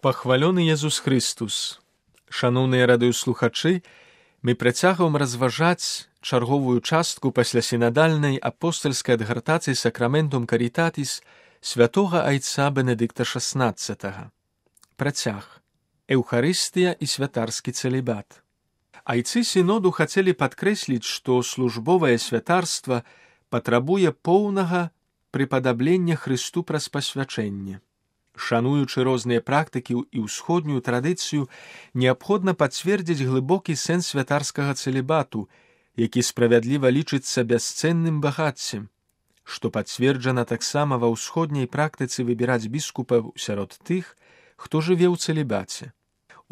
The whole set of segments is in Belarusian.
Пахвалёны Езус Христус! Шаноўныя радыёслухачы, мы працягваем разважаць чарговую частку пасля сінадальнай апостальскай адгартацыі Сакраментум Карітатіс святога айца Бенедыкта XVI. Працяг. Эўхарыстыя і святарскі цэлібат. Айцы сіноду хацелі падкрэсліць, што службовае святарства патрабуе поўнага прыпадаблення Хрысту праз пасвячэнне. Шануючы розныя практыкі і ўсходнюю традыцыю, неабходна пацвердзіць глыбокі сэнс святарскага цэлібату, які справядліва лічыцца бясцэнным багаццем, што пацверджана таксама ва ўсходняй практыцы выбіраць біскупаў сярод тых, хто жыве ў цэлібаце.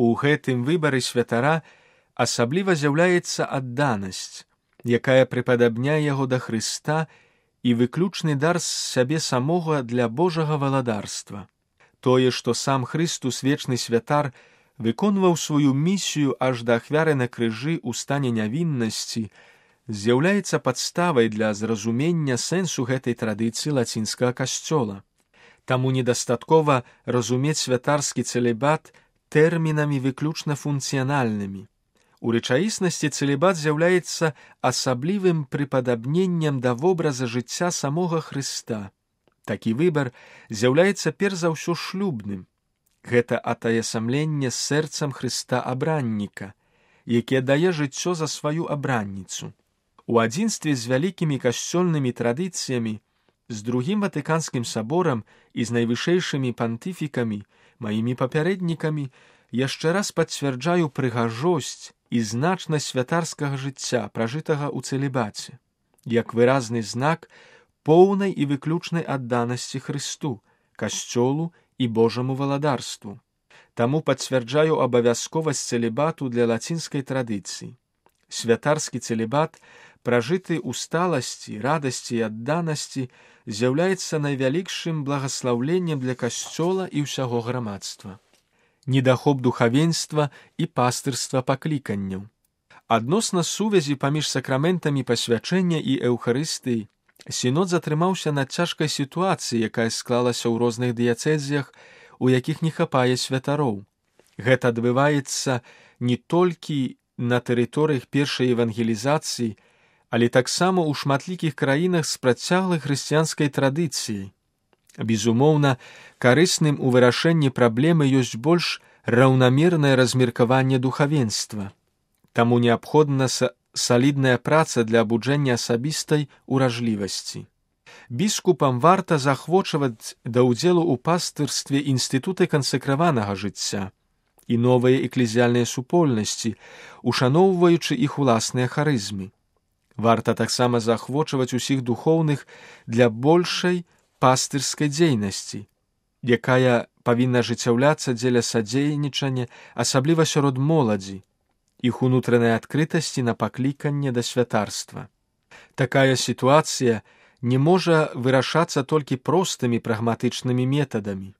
У гэтым выбары святара асабліва з'яўляецца адданасць, якая прыпадабняе яго да Хрыста і выключны дар з сябе самога для Божага валадарства. Тое, што сам Хрыстус, вечны святар, выконваў сваю місію аж да ахвяры на крыжы ў стане нявіннасці, з'яўляецца падставай для зразумення сэнсу гэтай традыцыі лацінскага касцёла. Таму недастаткова разумець святарскі цэлібат тэрмінамі выключна функцыянальнымі. У рэчаіснасці цэлібат з'яўляецца асаблівым прыпадабненнем да вобраза жыцця самога Хрыста. Такі выбар з'яўляецца перш за ўсё шлюбным. Гэта атаясамленне з сэрцам Хрыста абранніка, які аддае жыццё за сваю абранніцу. У адзінстве з вялікімі касцёльнымі традыцыямі, з другім Ватыканскім саборам і з найвышэйшымі пантыфікамі, маімі папярэднікамі, яшчэ раз пацвярджаю прыгажосць і значнасць святарскага жыцця, пражытага ў цэлібаце, як выразны знак поўнай і выключнай адданасці Хрысту, касцёлу і Божаму валадарству. Таму пацвярджаю абавязковасць цэлібату для лацінскай традыцыі. Святарскі цэлібат, пражыты ў сталасці, радасці і адданасці, з'яўляецца найвялікшым благаслаўленнем для касцёла і ўсяго грамадства. Недахоп духавенства і пастырства пакліканняў. Адносна сувязі паміж сакраментамі пасвячэння і эўхарыстыі, сінод затрымаўся над цяжкай сітуацыяй, якая склалася ў розных дыяцэзіях, у якіх не хапае святароў. Гэта адбываецца не толькі на тэрыторыях першай евангелізацыі, але таксама ў шматлікіх краінах з працяглай хрысціянскай традыцыяй. Безумоўна, карысным у вырашэнні праблемы ёсць больш раўнамернае размеркаванне духавенства. Таму неабходна салідная праца для абуджэння асабістай уражлівасці. Біскупам варта заахвочваць да ўдзелу ў пастырстве інстытуты кансакраванага жыцця і новыя эклезіяльныя супольнасці, ушаноўваючы іх уласныя харызмы. Варта таксама заахвочваць усіх духоўных для большай пастырскай дзейнасці, якая павінна ажыццяўляцца дзеля садзейнічання, асабліва сярод моладзі, іх унутранай адкрытасці на пакліканне да святарства. Такая сітуацыя не можа вырашацца толькі простымі прагматычнымі метадамі.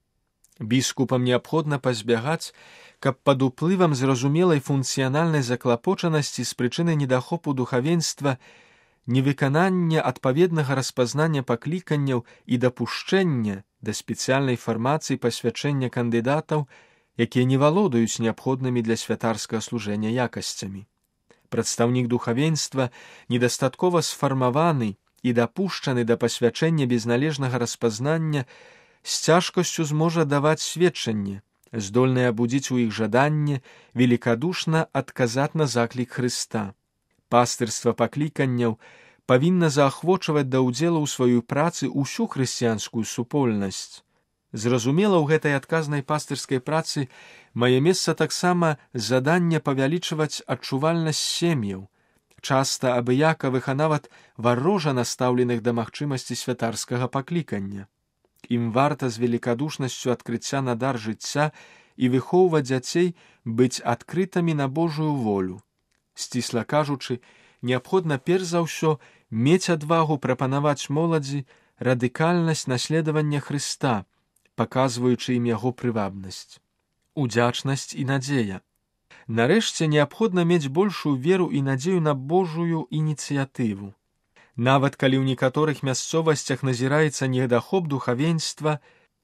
Біскупам неабходна пазбягаць, каб пад уплывам зразумелай функцыянальнай заклапочанасці з прычыны недахопу духавенства, невыканання адпаведнага распазнання пакліканняў і дапушчэння да спецыяльнай фармацыі пасвячэння кандыдатаў, якія не валодаюць неабходнымі для святарскага служэння якасцямі. Прадстаўнік духавенства недастаткова сфармаваны і дапушчаны да пасвячэння без належнага распазнання з цяжкасцю зможа даваць сведчанне, здольнае абудзіць у іх жаданне велікадушна адказаць на заклік Хрыста. Пастырства пакліканняў павінна заахвочваць да ўдзелу ў сваёй працы ўсю хрысціянскую супольнасць. Зразумела, ў гэтай адказнай пастырскай працы мае месца таксама заданне павялічваць адчувальнасць сем'яў, часта абыякавых, а нават варожа настаўленых да магчымасці святарскага паклікання. Ім варта з велікадушнасцю адкрыцця на дар жыцця і выхоўваць дзяцей быць адкрытымі на Божую волю. Сцісла кажучы, неабходна перш за ўсё мець адвагу прапанаваць моладзі радыкальнасць наследавання Хрыста, паказваючы ім яго прывабнасць, удзячнасць і надзея. Нарэшце, неабходна мець большую веру і надзею на Божую ініцыятыву. Нават калі ў некаторых мясцовасцях назіраецца недахоп духавенства,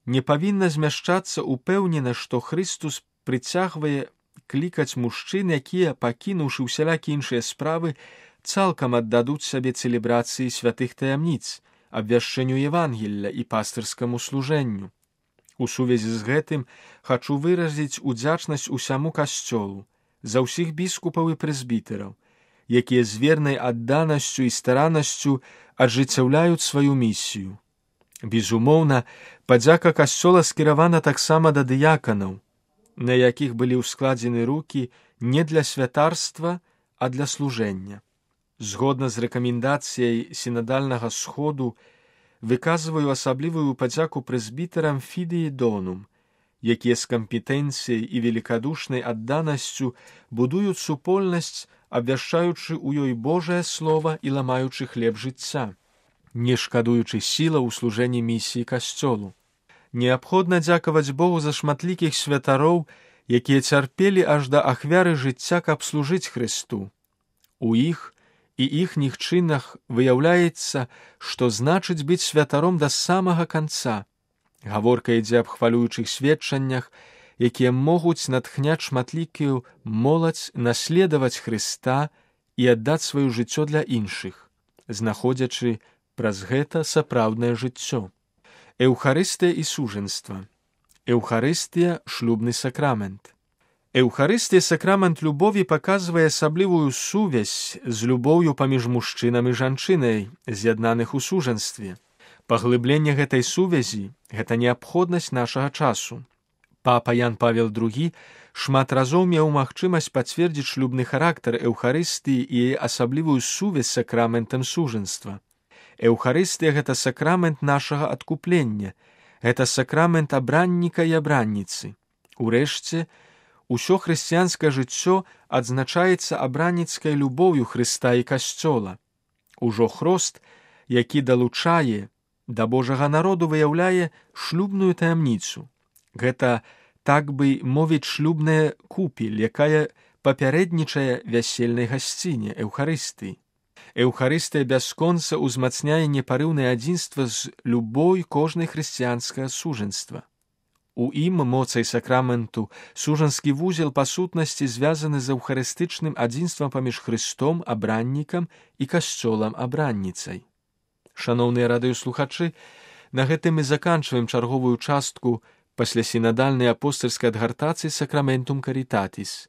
не павінна змяшчацца упэўнена, што Христус прыцягвае клікаць мужчын, якія, пакінуўшы ўсялякі іншыя справы, цалкам аддадуць сабе цэлебрацыі святых таямніц, абвяшчэнню Евангелля і пастырскаму служэнню. У сувязі з гэтым хачу выразіць удзячнасць усяму касцёлу, за ўсіх біскупаў і прэзбітэраў, якія з вернай адданасцю і стараннасцю аджыццяўляюць сваю місію. Безумоўна, падзяка касцёла скіравана таксама да дыяканаў, на якіх былі ўскладзены рукі не для святарства, а для служэння. Згодна з рэкамендацыяй сінадальнага сходу выказваю асаблівую падзяку прэзбітэрам Фідыі Донум, якія з кампетэнцыяй і велікадушнай адданасцю будуюць супольнасць, абвяшчаючы ў ёй Божае Слова і ламаючы хлеб жыцця, не шкадуючы сілаў у служэнні місіі касцёлу. Неабходна дзякаваць Богу за шматлікіх святароў, якія цярпелі аж да ахвяры жыцця, каб служыць Хрысту. У іх і іхніх чынах выяўляецца, што значыць быць святаром да самага канца. Гаворка ідзе аб хвалюючых сведчаннях, якія могуць натхняць шматлікую моладзь наследаваць Хрыста і аддаць сваё жыццё для іншых, знаходзячы праз гэта сапраўднае жыццё. Еўхарыстыя і сужэнства. Еўхарыстыя – шлюбны сакрамент. Еўхарыстыя сакрамент любові паказвае асаблівую сувязь з любоўю паміж мужчынам і жанчынай, з'яднаных у сужэнстве. Паглыбленне гэтай сувязі – гэта неабходнасць нашага часу. Папа Ян Павел II шмат разоў меў магчымасць пацвердзіць шлюбны характар Еўхарыстыі і яе асаблівую сувязь з сакраментам сужэнства. Еўхарыстыя – гэта сакрамент нашага адкуплення, гэта сакрамент абранніка і абранніцы. Урэшце, усё хрысціянскае жыццё адзначаецца абранніцкай любоўю Хрыста і касцёла. Ужо хрост, які далучае да Божага народу, выяўляе шлюбную таямніцу. Гэта, так бы мовіць, шлюбная купель, якая папярэднічае вясельнай гасціне Еўхарыстыі. Еўхарыстыя бясконца ўзмацняе непарыўнае адзінства з любой кожнай хрысціянскага сужэнства. У ім моцай сакраменту сужанскі вузел па сутнасці звязаны з еўхарыстычным адзінствам паміж Хрыстом, абраннікам і касцёлам, абранніцай. Шаноўныя радыёслухачы, на гэтым мы заканчваем чарговую частку паслясінадальнай апостальскай адгартацыі Сакраментум Карітатіс.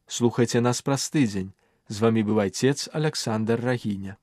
Слухайце нас праз тыдзень. З вамі быў айцец Аляксандр Рагіня.